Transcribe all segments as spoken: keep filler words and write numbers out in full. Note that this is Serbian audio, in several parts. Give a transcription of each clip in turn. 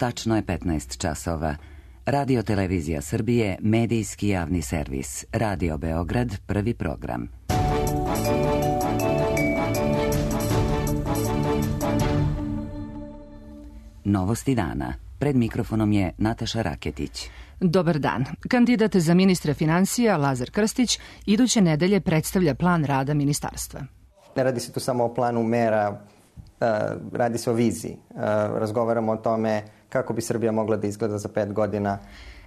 Tačno je petnaest časova. Radio Televizija Srbije, medijski javni servis. Radio Beograd, prvi program. Novosti dana. Pred mikrofonom je Nataša Raketić. Dobar dan. Kandidat za ministra finansija Lazar Krstić iduće nedelje predstavlja plan rada ministarstva. Ne radi se tu samo o planu mera, radi se o viziji. Razgovaramo o tome kako bi Srbija mogla da izgleda za pet godina.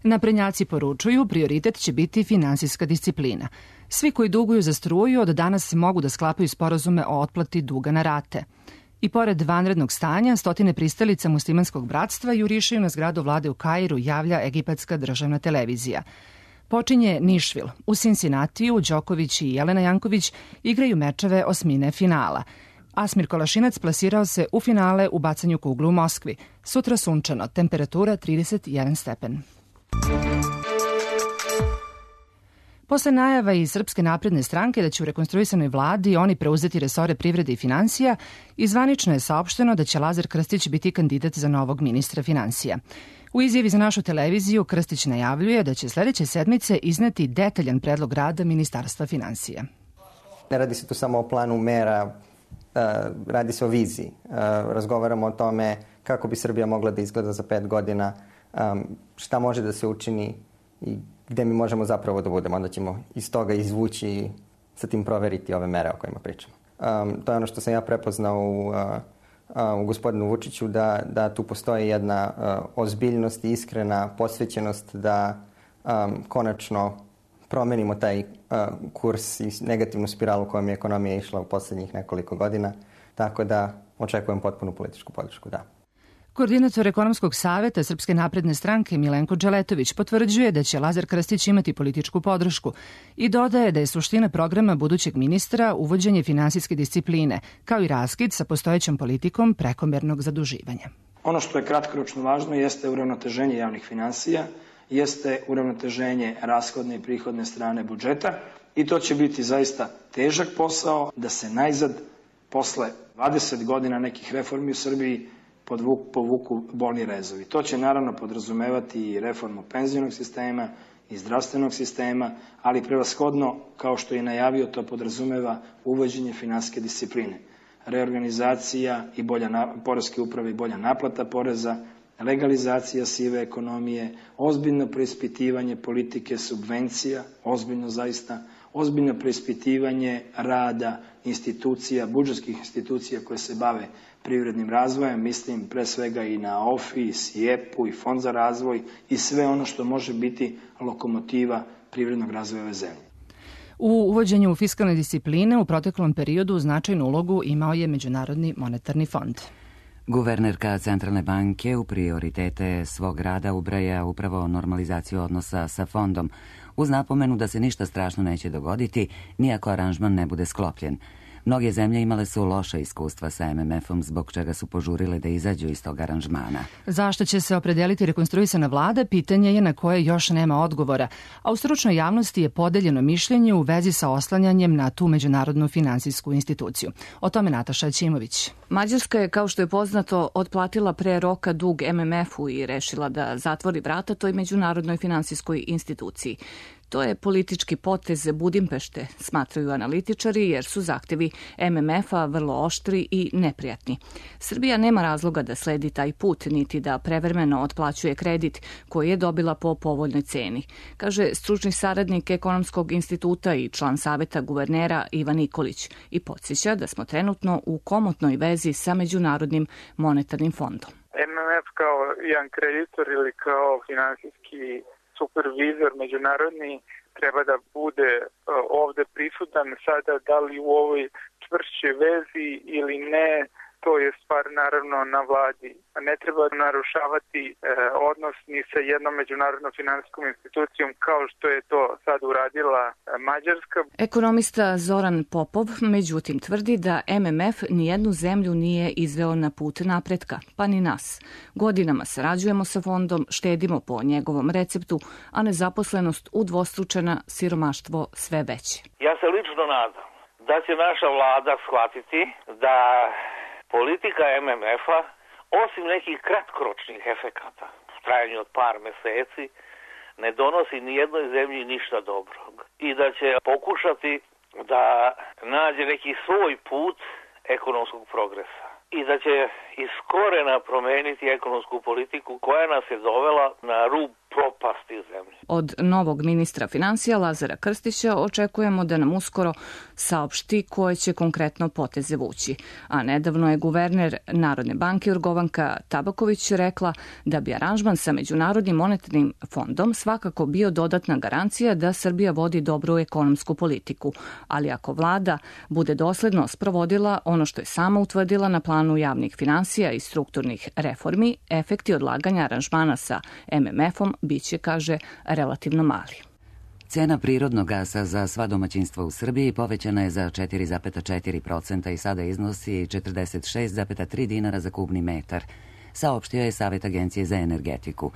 Naprednjaci poručuju, prioritet će biti finansijska disciplina. Svi koji duguju za struju od danas mogu da sklapaju sporazume o otplati duga na rate. I pored vanrednog stanja, stotine pristalica muslimanskog bratstva jurišaju na zgradu vlade u Kairu, javlja egipatska državna televizija. Počinje Nišvil. U Cincinnatiju Đoković i Jelena Janković igraju mečeve osmine finala. Asmir Kolašinac plasirao se u finale u bacanju kuglu u Moskvi. Sutra sunčano, temperatura trideset jedan stepen. Posle najava iz Srpske napredne stranke da će u rekonstruisanoj vladi oni preuzeti resore privrede i finansija, izvanično je saopšteno da će Lazar Krstić biti kandidat za novog ministra finansija. U izjavi za našu televiziju Krstić najavljuje da će sledeće sedmice izneti detaljan predlog rada Ministarstva finansija. Ne radi se tu samo o planu mera, radi se o viziji. Razgovaramo o tome kako bi Srbija mogla da izgleda za pet godina, šta može da se učini i gde mi možemo zapravo da budemo. Onda ćemo iz toga izvući i sa tim proveriti ove mere o kojima pričamo. Um, to je ono što sam ja prepoznao u, uh, uh, u gospodinu Vučiću, da, da tu postoji jedna uh, ozbiljnost i iskrena posvećenost da um, konačno promenimo taj uh, kurs i negativnu spiralu kojom je ekonomija išla u poslednjih nekoliko godina. Tako da očekujem potpunu političku podršku, da. Koordinator ekonomskog saveta Srpske napredne stranke Milenko Dželetović potvrđuje da će Lazar Krstić imati političku podršku i dodaje da je suština programa budućeg ministra uvođenje finansijske discipline, kao i raskid sa postojećom politikom prekomernog zaduživanja. Ono što je kratkoročno važno jeste uravnoteženje javnih finansija, jeste uravnoteženje rashodne i prihodne strane budžeta i to će biti zaista težak posao da se najzad posle dvadeset godina nekih reformi u Srbiji povuku bolni rezovi. To će naravno podrazumevati i reformu penzionog sistema i zdravstvenog sistema, ali prevashodno, kao što je najavio, to podrazumeva uvođenje finansijske discipline, reorganizacija i bolja poreske uprave i bolja naplata poreza, legalizacija sive ekonomije, ozbiljno preispitivanje politike subvencija, ozbiljno zaista, ozbiljno preispitivanje rada institucija, budžetskih institucija koje se bave privrednim razvojem, mislim pre svega i na O F I, S I E P U i Fond za razvoj i sve ono što može biti lokomotiva privrednog razvoja ove zemlje. U uvođenju fiskalne discipline u proteklom periodu značajnu ulogu imao je Međunarodni monetarni fond. Guvernerka Centralne banke u prioritete svog rada ubraja upravo normalizaciju odnosa sa fondom, uz napomenu da se ništa strašno neće dogoditi, nijako aranžman ne bude sklopljen. Mnoge zemlje imale su loša iskustva sa M M F-om, zbog čega su požurile da izađu iz tog aranžmana. Zašto će se opredeliti rekonstruisana vlada, pitanje je na koje još nema odgovora, a u stručnoj javnosti je podeljeno mišljenje u vezi sa oslanjanjem na tu međunarodnu finansijsku instituciju. O tome Nataša Ćimović. Mađarska je, kao što je poznato, otplatila pre roka dug M M F-u i rešila da zatvori vrata toj međunarodnoj finansijskoj instituciji. To je politički potez Budimpešte, smatraju analitičari, jer su zahtevi M M F-a vrlo oštri i neprijatni. Srbija nema razloga da sledi taj put, niti da prevremeno otplaćuje kredit koji je dobila po povoljnoj ceni, kaže stručni saradnik Ekonomskog instituta i član saveta guvernera Ivan Nikolić i podsjeća da smo trenutno u komotnoj vezi sa Međunarodnim monetarnim fondom. M M F kao jedan kreditor ili kao finansijski supervizor međunarodni treba da bude ovde prisutan. Sada da li u ovoj čvršćoj vezi ili ne, to je stvar naravno na vladi. Ne treba narušavati e, odnos ni sa jednom međunarodnom finansijskom institucijom kao što je to sad uradila Mađarska. Ekonomista Zoran Popov međutim tvrdi da M M F nijednu zemlju nije izveo na put napretka, pa ni nas. Godinama sarađujemo sa fondom, štedimo po njegovom receptu, a nezaposlenost udvostručena, siromaštvo sve veće. Ja se lično nadam da će naša vlada shvatiti da politika M M F-a osim nekih kratkoročnih efekata u trajanju od par meseci, ne donosi ni jednoj zemlji ništa dobrog i da će pokušati da nađe neki svoj put ekonomskog progresa i da će iz korena promeniti ekonomsku politiku koja nas je dovela na rub propasti zemlje. Od novog ministra financija Lazara Krstića očekujemo da nam uskoro saopšti koje će konkretno poteze vući. A nedavno je guverner Narodne banke Jorgovanka Tabaković rekla da bi aranžman sa Međunarodnim monetarnim fondom svakako bio dodatna garancija da Srbija vodi dobru ekonomsku politiku, ali ako vlada bude dosledno sprovodila ono što je sama utvrdila na planu javnih finansija i strukturnih reformi, efekti odlaganja aranžmana sa M M F-om biće, kaže, relativno mali. Cena prirodnog gasa za sva domaćinstva u Srbiji povećana je za četiri zarez četiri posto i sada iznosi četrdeset šest zarez tri dinara za kubni metar, saopštio je Savet Agencije za energetiku.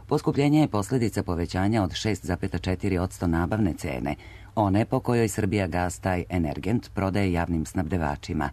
Poskupljenje je posljedica povećanja od šest zarez četiri posto nabavne cene, one po kojoj Srbijagas taj energent prodaje javnim snabdevačima.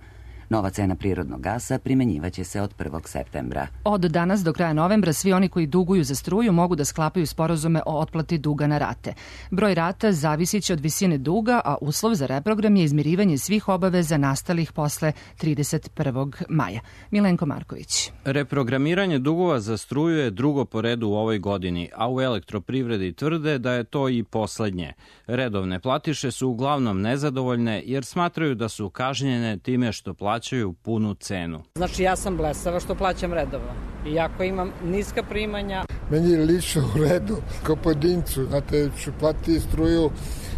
Nova cena prirodnog gasa primenjivaće se od prvog septembra. Od danas do kraja novembra svi oni koji duguju za struju mogu da sklapaju sporazume o otplati duga na rate. Broj rata zavisit će od visine duga, a uslov za reprogram je izmirivanje svih obaveza nastalih posle trideset prvog maja. Milenko Marković. Reprogramiranje dugova za struju je drugo po redu u ovoj godini, a u elektroprivredi tvrde da je to i poslednje. Redovne platiše su uglavnom nezadovoljne jer smatraju da su kažnjene time što plaćaju plaćaju punu cenu. Znači ja sam blesava što plaćam redovno. Iako imam niska primanja. Meni je lično u redu, kao pojedincu. Znate, ću platiti struju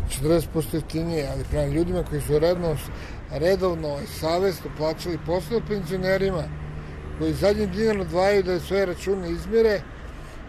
četrdeset posto jeftinije, ali prema ljudima koji su redno, redovno i savjesno plaćali posle penzionerima, koji zadnji dinar odvajaju da svoje račune izmire,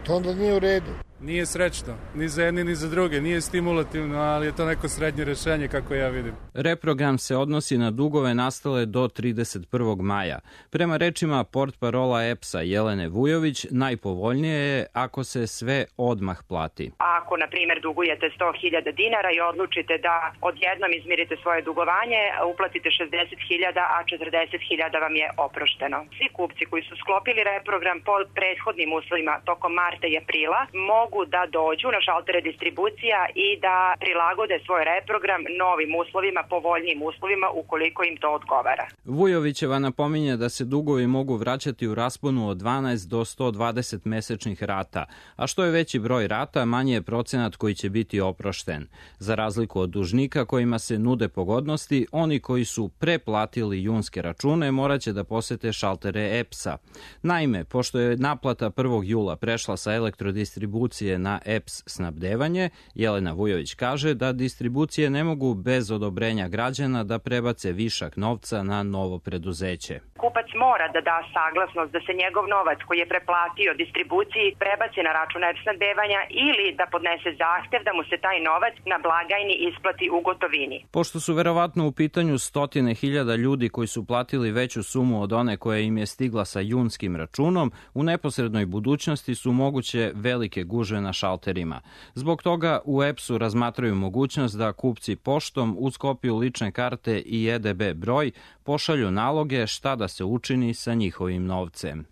to onda nije u redu. Nije srećno, ni za jedni ni za druge, nije stimulativno, ali je to neko srednje rešenje kako ja vidim. Reprogram se odnosi na dugove nastale do trideset prvog maja. Prema rečima portparola E P S-a Jelene Vujović, najpovoljnije je ako se sve odmah plati. Ako, na primjer, dugujete sto hiljada dinara i odlučite da odjednom izmirite svoje dugovanje, uplatite šezdeset hiljada, a četrdeset hiljada vam je oprošteno. Svi kupci koji su sklopili reprogram po prethodnim uslovima tokom marta i aprila mogu da dođu na šaltere distribucija i da prilagode svoj reprogram novim uslovima, povoljnijim uslovima ukoliko im to odgovara. Vujovićeva napominje da se dugovi mogu vraćati u rasponu od dvanaest do sto dvadeset mesečnih rata, a što je veći broj rata, manje je procenat koji će biti oprošten. Za razliku od dužnika kojima se nude pogodnosti, oni koji su preplatili junske račune moraće da posete šaltere E P S-a. Naime, pošto je naplata prvog jula prešla sa elektrodistribucije na E P S snabdevanje, Jelena Vujović kaže da distribucije ne mogu bez odobrenja građana da prebace višak novca na novo preduzeće. Kupac mora da da saglasnost da se njegov novac koji je preplatio distribuciji prebaci na račun E P S snabdevanja ili da podnese zahtev da mu se taj novac na blagajni isplati u gotovini. Pošto su verovatno u pitanju stotine hiljada ljudi koji su platili veću sumu od one koja im je stigla sa junskim računom, u neposrednoj budućnosti su moguće velike gužve na šalterima. Zbog toga u E P S-u razmatraju mogućnost da kupci poštom uz kopiju lične karte i E D B broj pošalju naloge šta da se učini sa njihovim novcem.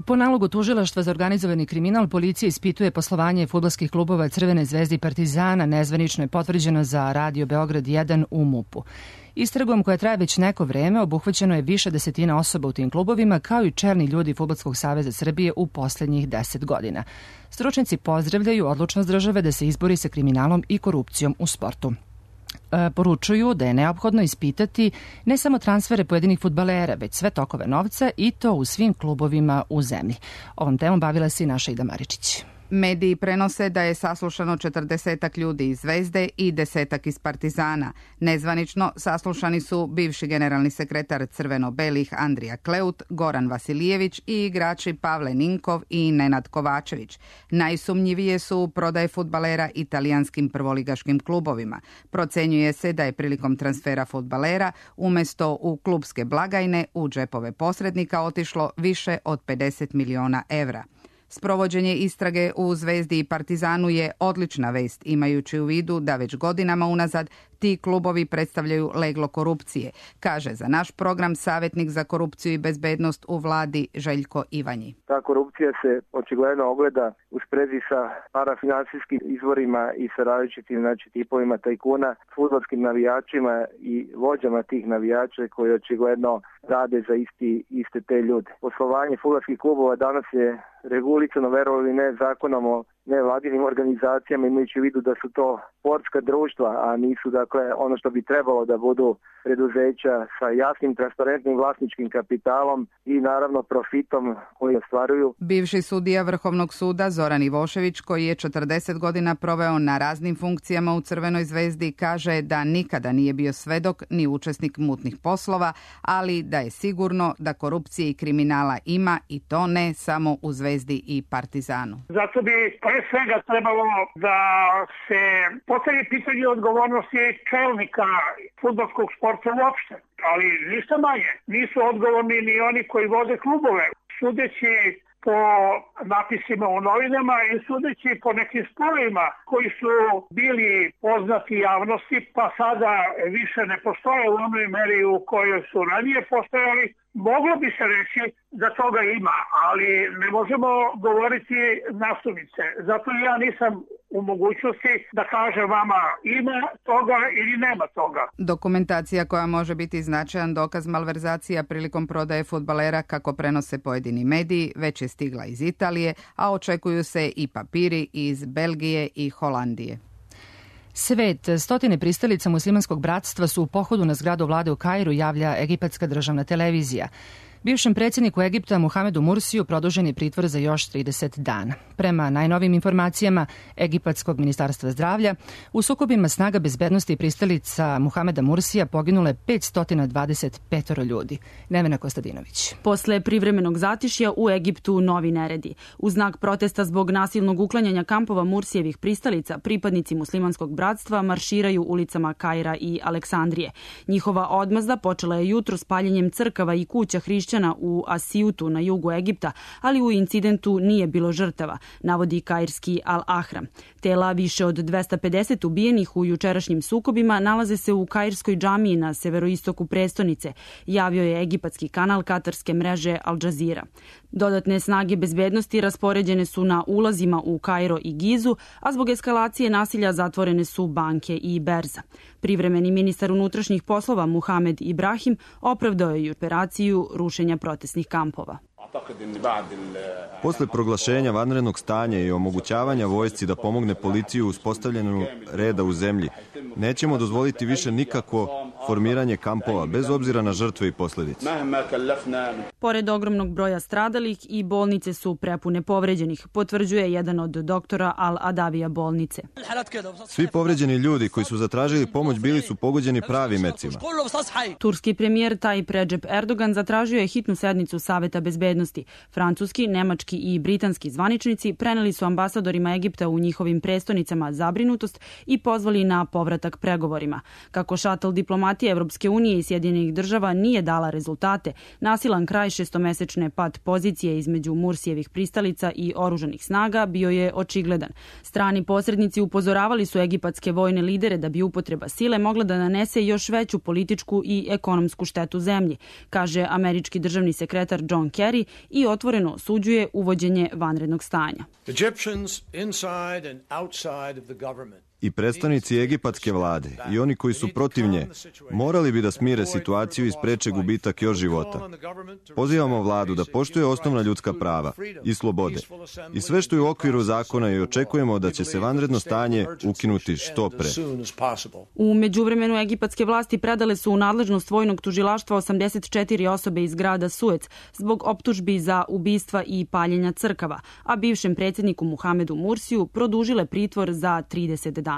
Po nalogu Tužilaštva za organizovani kriminal, policija ispituje poslovanje fudbalskih klubova Crvene zvezde i Partizana, nezvanično je potvrđeno za Radio Beograd jedan u M U P-u. Istragom koja traje već neko vreme obuhvaćeno je više desetina osoba u tim klubovima, kao i čelni ljudi Fudbalskog saveza Srbije u poslednjih deset godina. Stručnjaci pozdravljaju odlučnost države da se izbori sa kriminalom i korupcijom u sportu. Poručuju da je neophodno ispitati ne samo transfere pojedinih fudbalera, već sve tokove novca i to u svim klubovima u zemlji. Ovom temom bavila se i naša Ida Maričić. Mediji prenose da je saslušano četrdesetak ljudi iz Zvezde i desetak iz Partizana. Nezvanično saslušani su bivši generalni sekretar crveno-belih Andrija Kleut, Goran Vasilijević i igrači Pavle Ninkov i Nenad Kovačević. Najsumnjivije su prodaje fudbalera italijanskim prvoligaškim klubovima. Procenjuje se da je prilikom transfera fudbalera umesto u klubske blagajne u džepove posrednika otišlo više od pedeset miliona evra. Sprovođenje istrage u Zvezdi i Partizanu je odlična vest, imajući u vidu da već godinama unazad Ti klubovi predstavljaju leglo korupcije, kaže za naš program savjetnik za korupciju i bezbednost u vladi Željko Ivanji. Ta korupcija se očigledno ogleda u sprezi sa parafinansijskim izvorima i sa različitim znači, tipovima tajkuna, fudbalskim navijačima i vođama tih navijača koji očigledno rade za isti, iste te ljude. Poslovanje fudbalskih klubova danas je regulisano, verovali ne, zakonom o nevladinim organizacijama, imajući u vidu da su to sportska društva, a nisu dakle ono što bi trebalo da budu preduzeća sa jasnim, transparentnim vlasničkim kapitalom i naravno profitom koji ostvaruju. Bivši sudija Vrhovnog suda Zoran Ivošević, koji je četrdeset godina proveo na raznim funkcijama u Crvenoj zvezdi, kaže da nikada nije bio svedok ni učesnik mutnih poslova, ali da je sigurno da korupcije i kriminala ima i to ne samo u Zvezdi i Partizanu. Zato bi pre svega trebalo da se postavi pitanje odgovornosti čelnika fudbalskog sporta uopšte, ali ništa manje. Nisu odgovorni ni oni koji vode klubove. Sudeći po napisima u novinama i sudeći po nekim sporovima koji su bili poznati javnosti, pa sada više ne postoje u onoj meri u kojoj su ranije postojali, moglo bi se reći da toga ima, ali ne možemo govoriti nasumice. Zato ja nisam u mogućnosti da kažem vama ima toga ili nema toga. Dokumentacija koja može biti značajan dokaz malverzacija prilikom prodaje fudbalera, kako prenose pojedini mediji, već je stigla iz Italije, a očekuju se i papiri iz Belgije i Holandije. Svet, stotine pristalica muslimanskog bratstva su u pohodu na zgradu vlade u Kairu, javlja egipatska državna televizija. Bivšem predsjedniku Egipta Muhamedu Mursiju produžen je pritvor za još trideset dana. Prema najnovim informacijama Egipatskog ministarstva zdravlja, u sukobima snaga bezbednosti i pristalica Muhameda Mursija poginulo je petsto dvadeset pet ljudi. Nevena Kostadinović. Posle privremenog zatišja u Egiptu novi neredi. U znak protesta zbog nasilnog uklanjanja kampova Mursijevih pristalica, pripadnici muslimanskog bratstva marširaju ulicama Kaira i Aleksandrije. Njihova odmazda počela je jutro s paljenjem crkava i kuća hrišćana u Asijutu na jugu Egipta, ali u incidentu nije bilo žrtava, navodi kairski Al-Ahram. Tela više od dvesta pedeset ubijenih u jučerašnjim sukobima nalaze se u kairskoj džamiji na severoistoku prestonice, javio je egipatski kanal katarske mreže Al Jazeera. Dodatne snage bezbednosti raspoređene su na ulazima u Kairo i Gizu, a zbog eskalacije nasilja zatvorene su banke i berza. Privremeni ministar unutrašnjih poslova Muhamed Ibrahim opravdao je operaciju rušenja protestnih kampova. Posle proglašenja vanrednog stanja i omogućavanja vojsci da pomogne policiji u uspostavljanju reda u zemlji, nećemo dozvoliti više nikakvo formiranje kampova, bez obzira na žrtve i posljedice. Pored ogromnog broja stradalih i bolnice su prepune povređenih, potvrđuje jedan od doktora Al-Adavija bolnice. Svi povređeni ljudi koji su zatražili pomoć bili su pogođeni pravim mecima. Turski premijer Tayyip Recep Erdogan zatražio je hitnu sednicu Saveta bezbednosti. Francuski, nemački i britanski zvaničnici preneli su ambasadorima Egipta u njihovim prestonicama zabrinutost i pozvali na povratak pregovorima. Kako šatl diplomatije Evropske unije i Sjedinjenih država nije dala rezultate, nasilan kraj šestomesečne pad pozicije između Mursijevih pristalica i oružanih snaga bio je očigledan. Strani posrednici upozoravali su egipatske vojne lidere da bi upotreba sile mogla da nanese još veću političku i ekonomsku štetu zemlji, kaže američki državni sekretar John Kerry i otvoreno osuđuje uvođenje vanrednog stanja. I predstavnici egipatske vlade i oni koji su protiv nje morali bi da smire situaciju i spreče gubitak još života. Pozivamo vladu da poštuje osnovna ljudska prava i slobode i sve što je u okviru zakona i očekujemo da će se vanredno stanje ukinuti što pre. U međuvremenu egipatske vlasti predale su u nadležnost vojnog tužilaštva osamdeset četiri osobe iz grada Suec zbog optužbi za ubistva i paljenja crkava, a bivšem predsjedniku Muhamedu Mursiju produžile pritvor za trideset dana.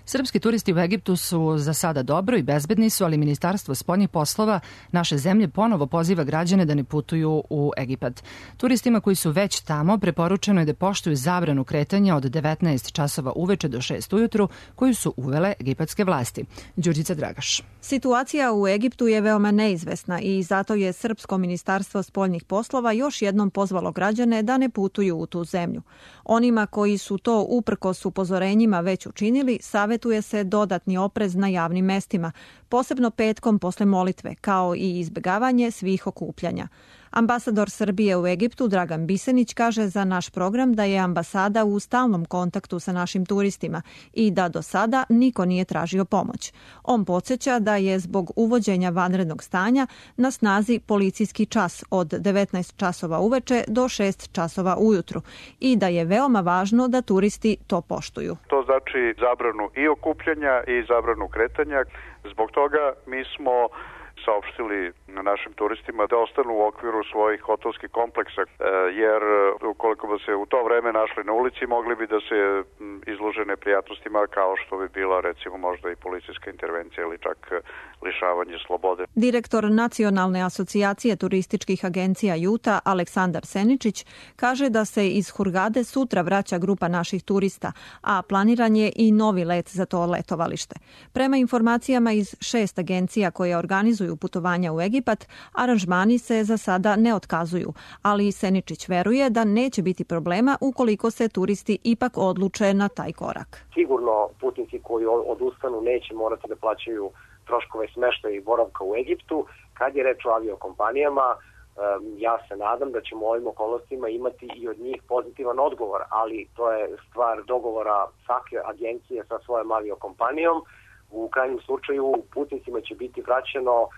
Srpski turisti u Egiptu su za sada dobro i bezbedni su, ali Ministarstvo spoljnih poslova naše zemlje ponovo poziva građane da ne putuju u Egipat. Turistima koji su već tamo preporučeno je da poštuju zabranu kretanja od devetnaest časova uveče do šest ujutru koju su uvele egipatske vlasti. Đurđica Dragaš. Situacija u Egiptu je veoma neizvesna i zato je Srpsko ministarstvo spoljnih poslova još jednom pozvalo građane da ne putuju u tu zemlju. Onima koji su to uprkos upozorenjima već učinili, savjet savetuje se dodatni oprez na javnim mestima, posebno petkom posle molitve, kao i izbegavanje svih okupljanja. Ambasador Srbije u Egiptu Dragan Bisenić kaže za naš program da je ambasada u stalnom kontaktu sa našim turistima i da do sada niko nije tražio pomoć. On podsjeća da je zbog uvođenja vanrednog stanja na snazi policijski čas od devetnaest časova uveče do šest časova ujutru i da je veoma važno da turisti to poštuju. To znači zabranu i okupljanja i zabranu kretanja. Zbog toga mi smo saopštili našim turistima da ostanu u okviru svojih hotelskih kompleksa, jer ukoliko bi se u to vreme našli na ulici, mogli bi da se izlože neprijatnostima kao što bi bila recimo možda i policijska intervencija ili čak lišavanje slobode. Direktor Nacionalne asocijacije turističkih agencija Juta Aleksandar Seničić kaže da se iz Hurgade sutra vraća grupa naših turista, a planiran je i novi let za to letovalište. Prema informacijama iz šest agencija koje organizuju putovanja u Egipat, aranžmani se za sada ne otkazuju, ali Seničić veruje da neće biti problema ukoliko se turisti ipak odluče na taj korak. Sigurno putnici koji odustanu neće morati da plaćaju troškove smeštaja i boravka u Egiptu. Kad je reč o aviokompanijama, ja se nadam da ćemo u ovim okolnostima imati i od njih pozitivan odgovor, ali to je stvar dogovora svake agencije sa svojom aviokompanijom. U krajnjem slučaju putnicima će biti vraćeno uh,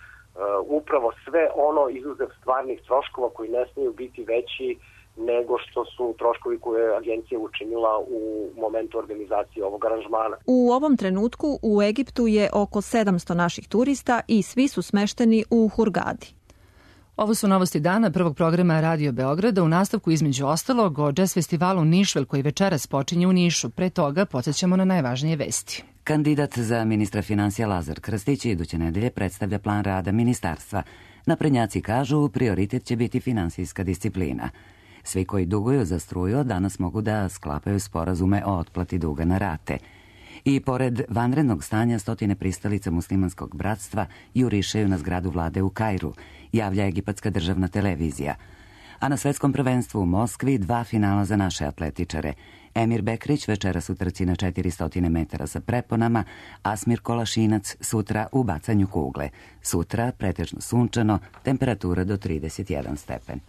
upravo sve ono izuzev stvarnih troškova koji ne smiju biti veći nego što su troškovi koje je agencija učinila u momentu organizacije ovog aranžmana. U ovom trenutku u Egiptu je oko sedamsto naših turista i svi su smešteni u Hurgadi. Ovo su novosti dana prvog programa Radio Beograda, u nastavku između ostalog o jazz festivalu Nišvel koji večeras počinje u Nišu. Pre toga podsjećamo na najvažnije vesti. Kandidat za ministra financija Lazar Krstić iduće nedelje predstavlja plan rada ministarstva. Naprednjaci kažu prioritet će biti finansijska disciplina. Svi koji duguju za struju danas mogu da sklapaju sporazume o otplati duga na rate. I pored vanrednog stanja stotine pristalica muslimanskog bratstva jurišaju na zgradu vlade u Kairu, javlja egipatska državna televizija. A na svetskom prvenstvu u Moskvi dva finala za naše atletičare. Emir Bekrić večeras u trci na četiristo metara sa preponama, Asmir Kolašinac sutra u bacanju kugle. Sutra pretežno sunčano, temperatura do trideset jedan stepen.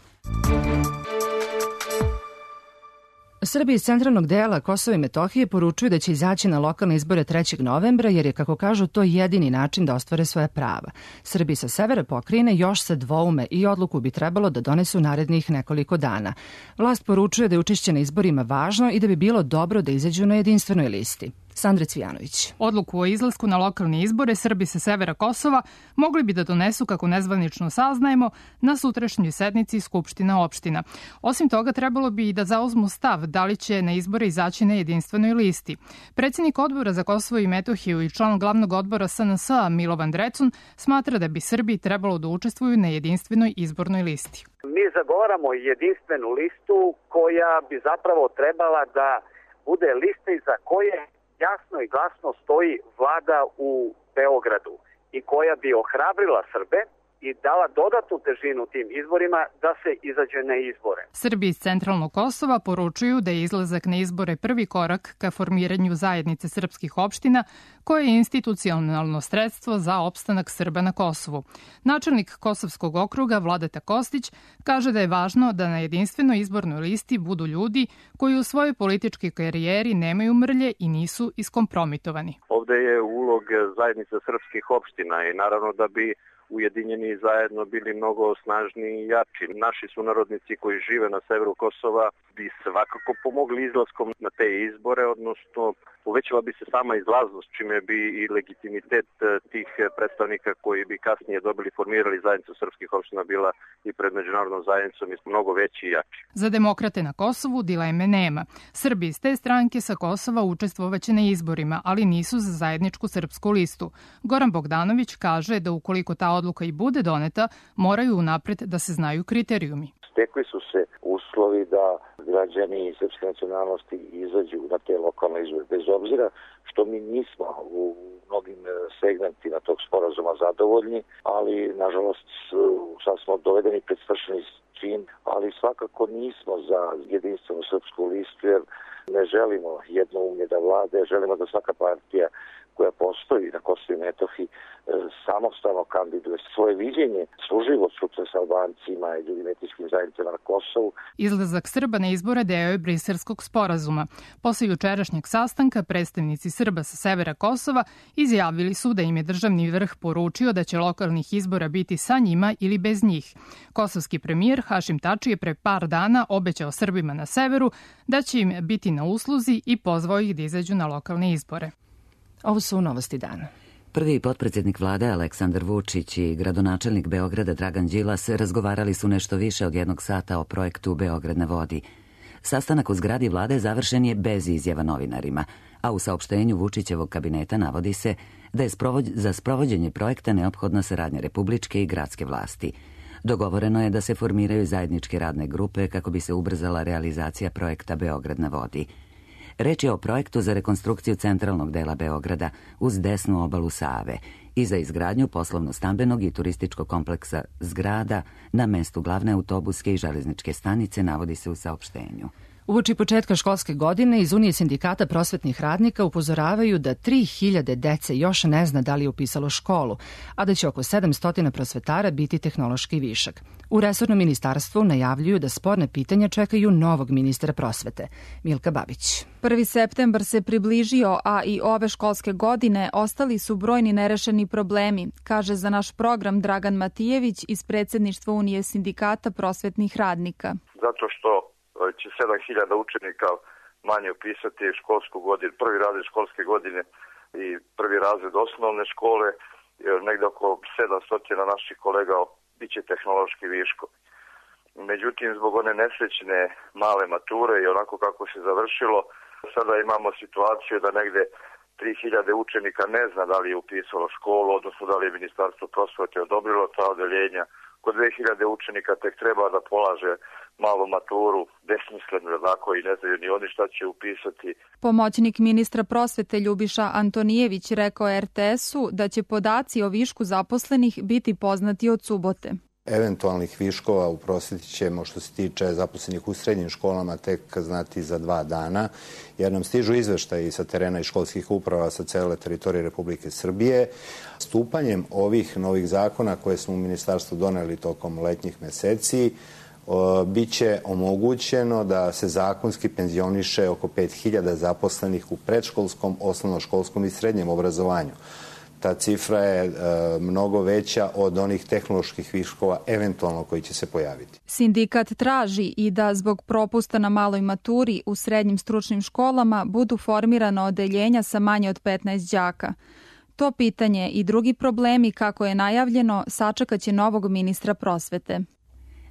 Srbi iz centralnog dela Kosova i Metohije poručuju da će izaći na lokalne izbore trećeg novembra jer je, kako kažu, to jedini način da ostvare svoje prava. Srbi sa severa pokrajine još se dvoume i odluku bi trebalo da donesu narednih nekoliko dana. Vlast poručuje da je učešće na izborima važno i da bi bilo dobro da izađu na jedinstvenoj listi. Sandra Cvijanović. Odluku o izlasku na lokalne izbore Srbi sa severa Kosova mogli bi da donesu, kako nezvanično saznajemo, na sutrašnjoj sednici Skupština opština. Osim toga, trebalo bi i da zauzmu stav da li će na izbore izaći na jedinstvenoj listi. Predsjednik odbora za Kosovo i Metohiju i član glavnog odbora S N S-a Milovan Drecun smatra da bi Srbi trebalo da učestvuju na jedinstvenoj izbornoj listi. Mi zagovaramo jedinstvenu listu koja bi zapravo trebala da bude lista iza koje jasno i glasno stoji vlada u Beogradu i koja bi ohrabrila Srbe i dala dodatnu težinu tim izborima da se izađe na izbore. Srbi iz centralnog Kosova poručuju da je izlazak na izbore prvi korak ka formiranju zajednice srpskih opština, koje je institucionalno sredstvo za opstanak Srba na Kosovu. Načelnik Kosovskog okruga Vladeta Kostić kaže da je važno da na jedinstvenoj izbornoj listi budu ljudi koji u svojoj političkoj karijeri nemaju mrlje i nisu iskompromitovani. Ovde je ulog zajednice srpskih opština i naravno da bi ujedinjeni zajedno bili mnogo snažniji i jači. Naši sunarodnici koji žive na severu Kosova bi svakako pomogli izlaskom na te izbore, odnosno povećala bi se sama izlaznost, čime bi i legitimitet tih predstavnika koji bi kasnije dobili, formirali zajednicu srpskih opština bila i pred međunarodnom zajednicom mnogo veći i jači. Za demokrate na Kosovu dileme nema. Srbi iz te stranke sa Kosova učestvovaće na izborima, ali nisu za zajedničku srpsku listu. Goran Bogdanović kaže da ukoliko ta odluka i bude doneta, moraju unapred da se znaju kriterijumi. Stekli su se uslovi da građani srpske nacionalnosti izađu na te lokalne izbore, bez obzira što mi nismo u mnogim segmentima tog sporazuma zadovoljni, ali nažalost sad smo dovedeni pred svršeni čin, ali svakako nismo za jedinstvenu srpsku listu, jer Ne želimo jednoumlje da vlade, želimo da svaka partija koja postoji na Kosovu i Metohiji samostalno kandiduje svoje viđenje, služivo sutra sa Albancima i drugim etničkim zajednicama na Kosovu. Izlazak Srba na izbore deo je Briselskog sporazuma. Posle jučerašnjeg sastanka predstavnici Srba sa severa Kosova izjavili su da im je državni vrh poručio da će lokalnih izbora biti sa njima ili bez njih. Kosovski premijer Hašim Tači je pre par dana obećao Srbima na severu da će im biti na usluzi i pozvao ih da izađu na lokalne izbore. Ovo su novosti dana. Prvi potpredsjednik vlade Aleksandar Vučić i gradonačelnik Beograda Dragan Đilas razgovarali su nešto više od jednog sata o projektu Beograd na vodi. Sastanak u zgradi vlade završen je bez izjava novinarima, a u saopštenju Vučićevog kabineta navodi se da je za sprovođenje projekta neophodna saradnja republičke i gradske vlasti. Dogovoreno je da se formiraju zajedničke radne grupe kako bi se ubrzala realizacija projekta Beograd na vodi. Reč je o projektu za rekonstrukciju centralnog dela Beograda uz desnu obalu Save i za izgradnju poslovno-stambenog i turističkog kompleksa zgrada na mestu glavne autobuske i železničke stanice, navodi se u saopštenju. Uoči početka školske godine iz Unije sindikata prosvetnih radnika upozoravaju da tri hiljade dece još ne zna da li je upisalo školu, a da će oko sedamsto prosvetara biti tehnološki višak. U resornom ministarstvu najavljuju da sporne pitanja čekaju novog ministra prosvete. Milka Babić. Prvi septembar se približio, a i ove školske godine ostali su brojni nerešeni problemi, kaže za naš program Dragan Matijević iz predsjedništva Unije sindikata prosvetnih radnika. Zato što će sedam hiljada učenika manje upisati školsku godinu, prvi razred školske godine i prvi razred osnovne škole, negde oko sedamsto naših kolega biće tehnološki viško. Međutim, zbog one nesrećne male mature i onako kako se završilo, sada imamo situaciju da negde tri hiljade učenika ne zna da li je upisalo školu, odnosno da li je Ministarstvo prosvete odobrilo ta odeljenja. Kod dve hiljade učenika tek treba da polaže malu maturu, besmisleno jednako i ne znaju ni oni šta će upisati. Pomoćnik ministra prosvete Ljubiša Antonijević rekao er te esu da će podaci o višku zaposlenih biti poznati od subote. Eventualnih viškova u prosveti ćemo, što se tiče zaposlenih u srednjim školama, tek znati za dva dana, jer nam stižu izveštaji sa terena i školskih uprava sa cele teritorije Republike Srbije. Stupanjem ovih novih zakona koje smo u ministarstvu doneli tokom letnjih meseci, biće omogućeno da se zakonski penzioniše oko pet hiljada zaposlenih u predškolskom, osnovnoškolskom i srednjem obrazovanju. Ta cifra je e, mnogo veća od onih tehnoloških viškova eventualno koji će se pojaviti. Sindikat traži i da zbog propusta na maloj maturi u srednjim stručnim školama budu formirana odeljenja sa manje od petnaest đaka. To pitanje i drugi problemi, kako je najavljeno, sačekaće novog ministra prosvete.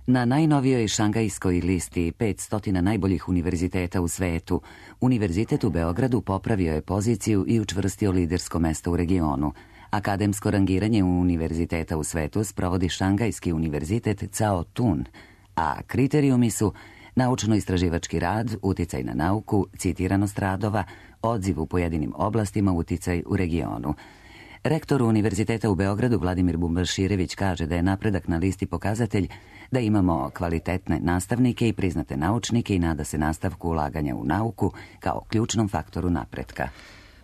Na najnovijoj šangajskoj listi petsto najboljih univerziteta u svetu, Univerzitet u Beogradu popravio je poziciju i učvrstio lidersko mesto u regionu. Akademsko rangiranje univerziteta u svetu sprovodi Šangajski univerzitet Cao Tun, a kriterijumi su naučno-istraživački rad, uticaj na nauku, citiranost radova, odziv u pojedinim oblastima, uticaj u regionu. Rektor Univerziteta u Beogradu Vladimir Bumbaširević kaže da je napredak na listi pokazatelj da imamo kvalitetne nastavnike i priznate naučnike i nada se nastavku ulaganja u nauku kao ključnom faktoru napretka.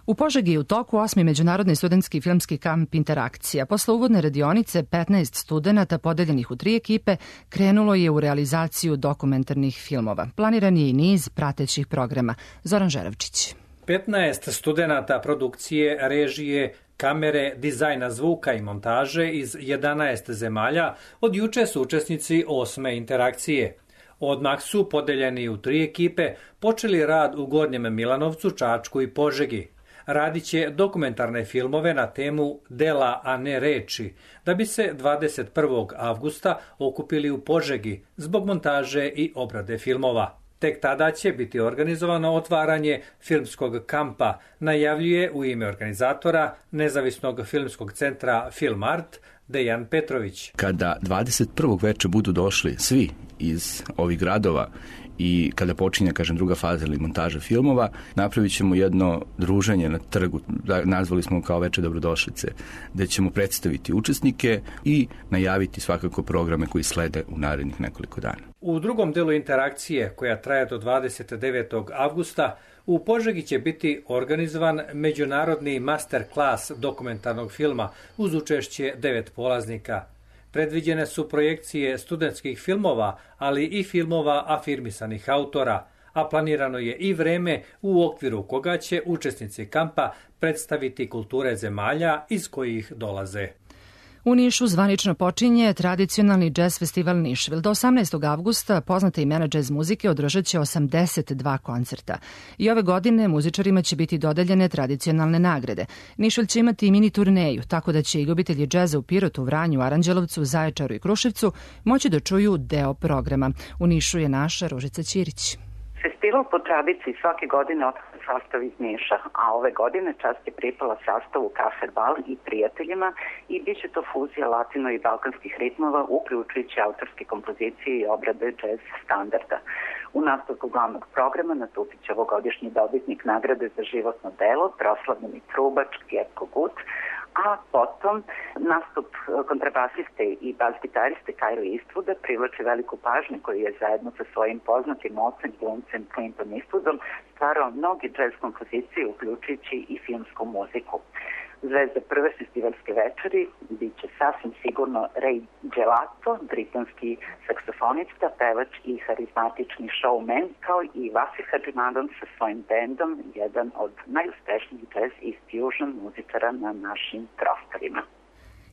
U Požegi je u toku osmi međunarodni studentski filmski kamp Interakcija. Posle uvodne radionice, petnaest studenata podeljenih u tri ekipe krenulo je u realizaciju dokumentarnih filmova. Planiran je i niz pratećih programa. Zoran Žeravčić. petnaest studenata produkcije, režije, kamere, dizajna zvuka i montaže iz jedanaest zemalja od juče su učesnici osme interakcije. Odmah su, podeljeni u tri ekipe, počeli rad u Gornjem Milanovcu, Čačku i Požegi. Radit će dokumentarne filmove na temu Dela, a ne reči, da bi se dvadeset prvog avgusta okupili u Požegi zbog montaže i obrade filmova. Tek tada će biti organizovano otvaranje filmskog kampa, najavljuje u ime organizatora Nezavisnog filmskog centra Film Art Dejan Petrović. Kada dvadeset prvog veče budu došli svi iz ovih gradova i kada počinje, kažem, druga faza ili montaža filmova, napravit ćemo jedno druženje na trgu, nazvali smo kao Veče dobrodošlice, gde ćemo predstaviti učesnike i najaviti svakako programe koji slede u narednih nekoliko dana. U drugom delu interakcije, koja traje do dvadeset devetog avgusta, u Požegi će biti organizovan međunarodni master klas dokumentarnog filma uz učešće devet polaznika. Predviđene su projekcije studentskih filmova, ali i filmova afirmisanih autora, a planirano je i vreme u okviru koga će učesnici kampa predstaviti kulture zemalja iz kojih dolaze. U Nišu zvanično počinje tradicionalni džez festival Nišvil. Do osamnaestog avgusta poznate imena džez muzike održat će osamdeset dva koncerta. I ove godine muzičarima će biti dodeljene tradicionalne nagrade. Nišvil će imati i mini turneju, tako da će i ljubitelji džeza u Pirotu, Vranju, Aranđelovcu, Zaječaru i Kruševcu moći da čuju deo programa. U Nišu je naša Ružica Ćirić. Festival po tradiciji svake godine otvara sastav iz Niša, a ove godine čast je pripala sastavu Kafer Bal i prijateljima i bit će to fuzija latino i balkanskih ritmova, uključujući autorske kompozicije i obrade džez standarda. U nastavku glavnog programa nastupit će ovogodišnji dobitnik nagrade za životno delo, proslavljeni trubač Getko Gut, a potom nastup kontrabasiste i bas-gitariste Kyle Eastwooda privlači veliku pažnju koji je zajedno sa svojim poznatim ocem glumcem Clinton Eastwoodom stvarao mnogi džez kompozicije, uključujući i filmsku muziku. Zvezda prve festivalske večeri bit će sasvim sigurno Ray Gelato, britanski saksofonista, pevač i harizmatični showman, kao i Vasif Hadžimadon sa svojim bendom, jedan od najuspešnijih jazz i fusion muzičara na našim prostorima.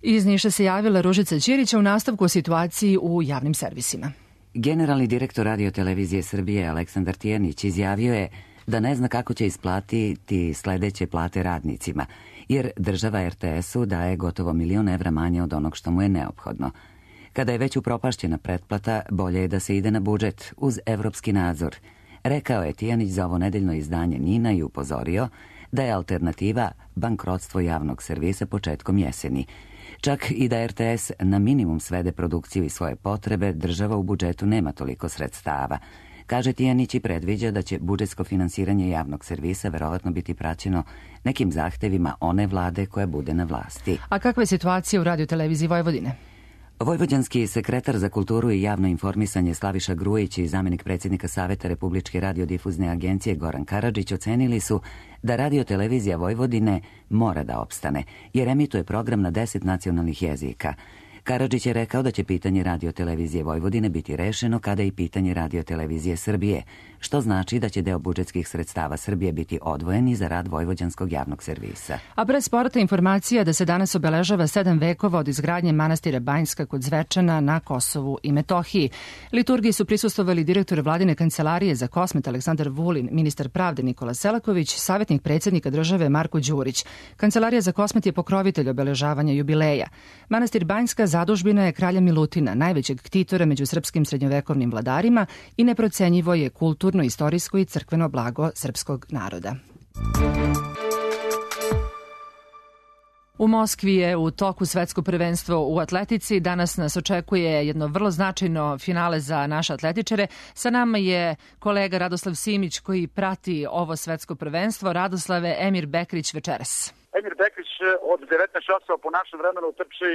Iz Niša se javila Ružica Ćirića u nastavku o situaciji u javnim servisima. Generalni direktor Radio-televizije Srbije Aleksandar Tijanić izjavio je da ne zna kako će isplatiti sledeće plate radnicima, jer država er te esu daje gotovo milion evra manje od onog što mu je neophodno. Kada je već upropašćena pretplata, bolje je da se ide na budžet uz evropski nadzor, rekao je Tijanić za ovo nedeljno izdanje Nina i upozorio da je alternativa bankrotstvo javnog servisa početkom jeseni. Čak i da er te es na minimum svede produkciju i svoje potrebe, država u budžetu nema toliko sredstava. Kaže Tijanić i predviđa da će budžetsko finansiranje javnog servisa verovatno biti praćeno nekim zahtevima one vlade koja bude na vlasti. A kakva je situacija u Radio-televiziji Vojvodine? Vojvođanski sekretar za kulturu i javno informisanje Slaviša Grujić i zamjenik predsjednika Saveta Republičke radiodifuzne agencije Goran Karadžić ocenili su da Radio-televizija Vojvodine mora da opstane, jer emituje program na deset nacionalnih jezika. Karadžić je rekao da će pitanje Radio-televizije Vojvodine biti rešeno kada i pitanje Radio-televizije Srbije, što znači da će deo budžetskih sredstava Srbije biti odvojeni za rad vojvođanskog javnog servisa. A pre sporta informacija da se danas obeležava sedam vekova od izgradnje manastira Banjska kod Zvečana na Kosovu i Metohiji. Liturgiji su prisustvovali direktor vladine kancelarije za Kosmet Aleksandar Vulin, ministar pravde Nikola Selaković, savjetnik predsjednika države Marko Đurić. Kancelarija za Kosmet je pokrovitelj obeležavanja jubileja. Manastir Banjska zadužbina je kralja Milutina, najvećeg ktitora među srpskim srednjovekovnim vladarima i neprocenjivo je kulturno, istorijsko i crkveno blago srpskog naroda. U Moskvi je u toku svetsko prvenstvo u atletici. Danas nas očekuje jedno vrlo značajno finale za naše atletičare. Sa nama je kolega Radoslav Simić koji prati ovo svetsko prvenstvo. Radoslave, Emir Bekrić večeras. Emir Bekrić od devetnaest časova po našem vremenu trči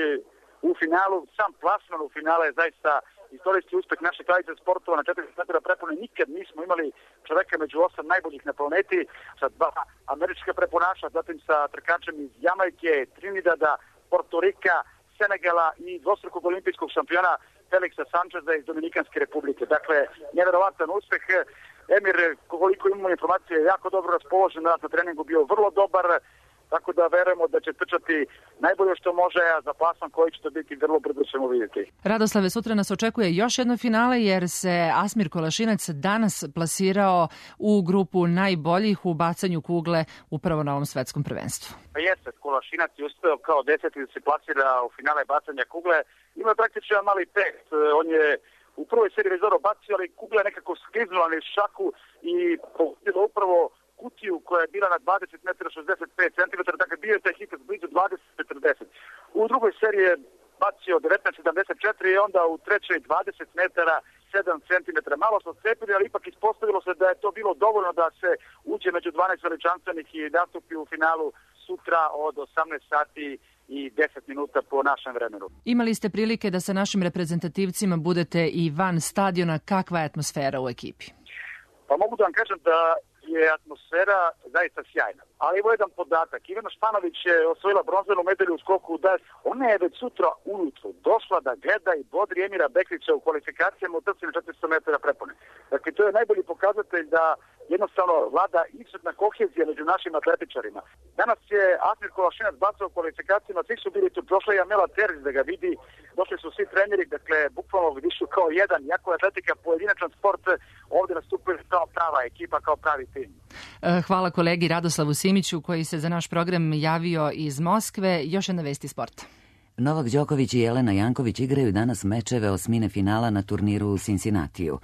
u finalu. Sam plasman u finale je zaista istorijski uspeh naše kraljice sportova. Na četrdeset metara prepone nikad nismo imali čoveka među osam najboljih na planeti, sa dva američka preponaša, zatim sa trkačem iz Jamajke, Trinidada, Portorika, Senegala i dvostrukog olimpijskog šampiona Felixa Sančeza iz Dominikanske republike. Dakle, nevjerovatan uspeh. Emir, koliko imamo informacije, je jako dobro raspoložen, na treningu bio vrlo dobar, tako da verujemo da će trčati najbolje što može, a za plasman koji će to biti vrlo brzo ćemo vidjeti. Radoslave, sutra nas očekuje još jedno finale jer se Asmir Kolašinac danas plasirao u grupu najboljih u bacanju kugle upravo na ovom svetskom prvenstvu. Pa jeste, Kolašinac je uspeo kao deseti da se plasira u finale bacanja kugle. Ima praktično mali pet. On je u prvoj seriji već dobro bacio, ali kugla je nekako skliznula na šaku i pogodila upravo kutiju koja je bila na dvadeset metara šezdeset pet centimetara, dakle bio je taj hit blizu dvadeset četrdeset. U drugoj seriji je bacio devetnaest sedamdeset četiri i onda u trećoj dvadeset metara sedam centimetara. Malo smo cepili, ali ipak ispostavilo se da je to bilo dovoljno da se uđe među dvanaest veličanstvenih i nastupi u finalu sutra od osamnaest sati i deset minuta po našem vremenu. Imali ste prilike da sa našim reprezentativcima budete i van stadiona. Kakva je atmosfera u ekipi? Pa mogu da vam kažem da je atmosfera zaista sjajna. Ali evo jedan podatak. Ivana Španović je osvojila bronzanu medalju u skoku u das. Ona je već sutra ujutru došla da gleda i bodri Emira Bekrića u kvalifikacijama u trci na četiristo metara prepone. Dakle, to je najbolji pokazatelj da jednostavno vlada izuzetna kohezija među našim atletičarima. Danas je Asmir Kolašinac bacao u kvalifikacijama, svi su bili tu, prošla je Amela Terz da ga vidi, došli su svi treneri, dakle, bukvalno vidišu kao jedan, jako je atletika pojedinačan sport, ovdje nastupuje kao prava ekipa, kao pravi tim. Hvala kolegi Radoslavu Simiću koji se za naš program javio iz Moskve. Još jedna vest iz sporta. Novak Đoković i Jelena Janković igraju danas mečeve osmine finala na turniru u Cincinnatiju.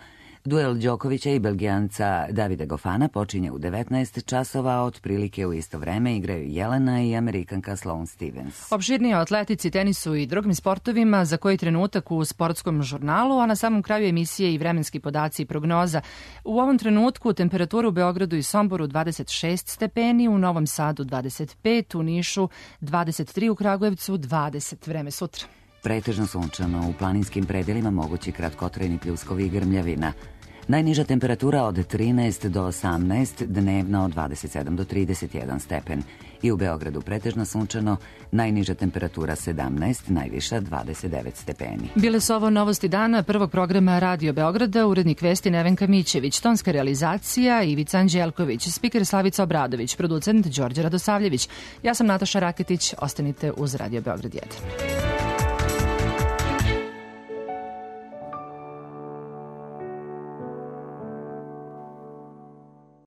Duel Đokovića i Belgijanca Davida Gofana počinje u devetnaest časova, a otprilike u isto vreme igraju Jelena i Amerikanka Sloane Stevens. Opširnije o atletici, tenisu i drugim sportovima za koji trenutak u sportskom žurnalu, a na samom kraju emisije i vremenski podaci i prognoza. U ovom trenutku temperatura u Beogradu i Somboru dvadeset šest stepeni, u Novom Sadu dvadeset pet, u Nišu dvadeset tri, u Kragujevcu dvadeset. Vreme sutra. Pretežno sunčano, u planinskim predelima mogući kratkotrajni pljuskovi i grmljavina. Najniža temperatura od trinaest do osamnaest, dnevna od dvadeset sedam do trideset jedan stepen. I u Beogradu pretežno sunčano, najniža temperatura sedamnaest, najviša dvadeset devet stepeni. Bile su ovo novosti dana prvog programa Radio Beograda, urednik vesti Nevenka Mićević, tonska realizacija Ivica Anđelković, spiker Slavica Obradović, producent Đorđe Radosavljević. Ja sam Nataša Raketić, ostanite uz Radio Beograd jedan.